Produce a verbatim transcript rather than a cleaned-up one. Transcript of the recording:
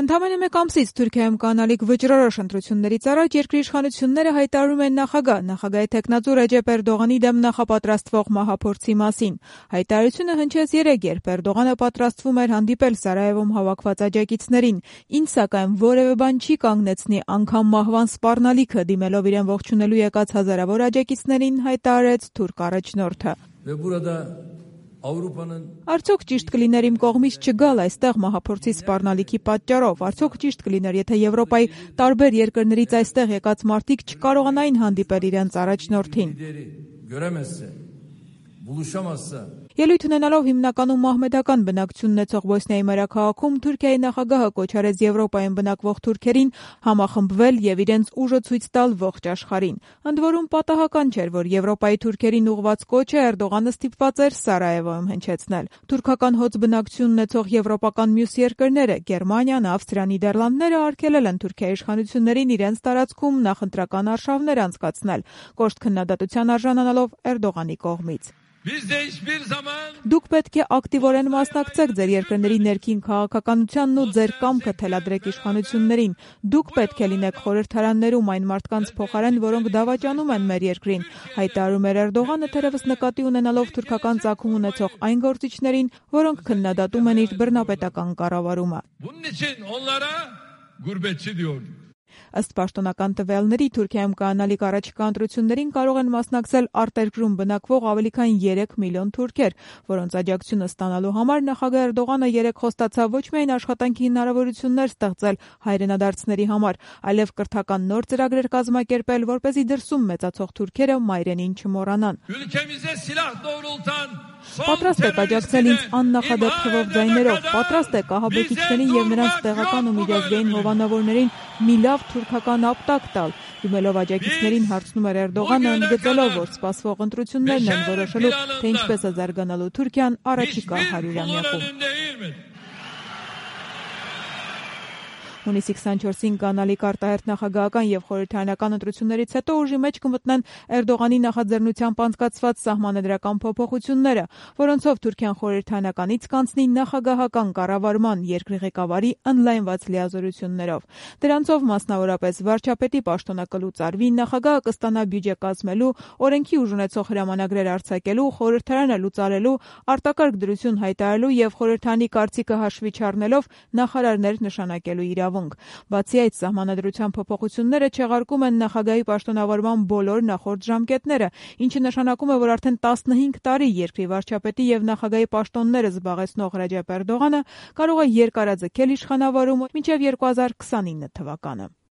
Ընդամենը մեկ ամսից Թուրքիայում կանալիք վճռորոշ ընտրություններից առաջ երկրի իշխանությունները հայտարարում են նախագահ, նախագահի թեկնածու Ռեջեփ Էրդողանի դեմ նախապատրաստվող մահափորձի մասին։ Հայտարարությունը հնչեց երեկ, երբ Էրդողանը պատրաստվում էր հանդիպել Սարայևոմ հավաքված աջակիցներին։ Ինչ սակայն որևէ բան չի կանգնեցնի անգամ մահվան սպառնալիքը, դիմելով իրեն ողջունելու եկած հազարավոր աջակիցներին, հայտարարեց թուրք առաջնորդը։ Արդյոք ճիշտ կլիներ իմ կողմից չգալ այստեղ մահափորձի սպառնալիքի պատճառով, արդյոք ճիշտ կլիներ, եթե Եվրոպայի տարբեր երկրներից այստեղ եկած մարդիկ չկարողանային հանդիպել իրենց առաջնորդին։ Ելույթ ունենալով հիմնականում մահմեդական բնակչություն ունեցող Բոսնիայի մայրաքաղաքում Թուրքիայի նախագահը կոչ արեց Եվրոպայում բնակվող թուրքերին համախմբվել եւ իրենց ուժը ցույց տալ ողջ աշխարհին։ Ընդ որում պատահական չէր, որ Եվրոպայի թուրքերին ուղղված կոչը Էրդողանը ստիպված էր Սարայևոյում հնչեցնել։ Թուրքական հոծ բնակչություն ունեցող եվրոպական մյուս երկրները՝ Գերմանիան, Ավստրիան, Նիդերլանդները արգելել են Թուրքիայի իշխանություններին իրենց տարածքում նախընտրական արշավներ անցկացնել, կոշտ քննադատության արժանանալով Էրդողանի կողմից։ Դուք պետք է ակտիվորեն մասնակցեք ձեր երկրների ներքին քաղաքականությանն ու ձեր կամքը թելադրեք իշխանություններին։ Դուք պետք է լինեք խորհրդարաններում այն մարդկանց փոխարեն, որոնք դավաճանում են մեր երկրին, հայտարարում էր Էրդողանը, թերևս նկատի ունենալով թուրքական ծագում ունեցող այն գործիչներին, որոնք քննադատում են իր բռնապետական կառավարումը։ Ըստ պաշտոնական տվյալների, Թուրքիայում կանալիք առաջիկա ընտրություններին կարող են մասնակցել արտերկրում բնակվող ավելի քան երեք միլիոն թուրքեր, որոնց աջակցությունը ստանալու համար նախագահ Էրդողանը երեկ խոստացավ ոչ միայն աշխատանքի հնարավորություններ ստեղծել հայրենադարձների համար, այլև կրթական նոր ծրագրեր կազմակերպել, որպեսզի դրսում մեծացող թուրքերը մայրենին չմոռանան։ Պատրաստ եք աջակցել ինձ աննախադեպ թվով ձայներով, պատրաստ եք ահաբեկիչներին եւ նրանց տեղական ու միջազգային հովանավորներին մի լավ թուրքական ապտակ տալ։ Դիմելով աջակիցներին հարցնում էր Էրդողանը, ընդգծելով, որ սպասվող ընտրություններն են որոշելու, թե ինչպես է զարգանալու Թուրքիան առաջիկա հարյուրամյակում։ Հունիսի քսանչորսին կանալիք արտահերթ նախագահական եւ խորհրդարանական ընտրություններից հետո ուժի մեջ կմտնեն Էրդողանի նախաձեռնությամբ անցկացված սահմանադրական փոփոխությունները, որոնցով Թուրքիան խորհրդարանականից կանցնի նախագահական կառավարման երկրի ղեկավարի ընդլայնված լիազորություններով։ Դրանցով մասնավորապես վարչապետի պաշտոնը կլուծարվի, նախագահը կստանա բյուջե կազմելու, օրենքի ուժ ունեցող հրամանագրեր արձակելու, խորհրդարանը լուծարելու, արտակարգ դրություն հայտարարելու եւ խորհրդարանի կարծիքը հաշվի չառնելով նախարարներ նշանակելու իրավունք։ Բացի այդ, սահմանադրության փոփոխությունները չեղարկում են նախագահի պաշտոնավարման բոլոր նախորդ ժամկետները, ինչը նշանակում է, որ արդեն տասնհինգ տարի երկրի վարչապետի եւ նախագահի պաշտոնները զբաղեցնող Ռեջեփ Էրդողանը կարող է երկարաձգել իշխանավարումը մինչեւ երկու հազար քսանինը թվականը։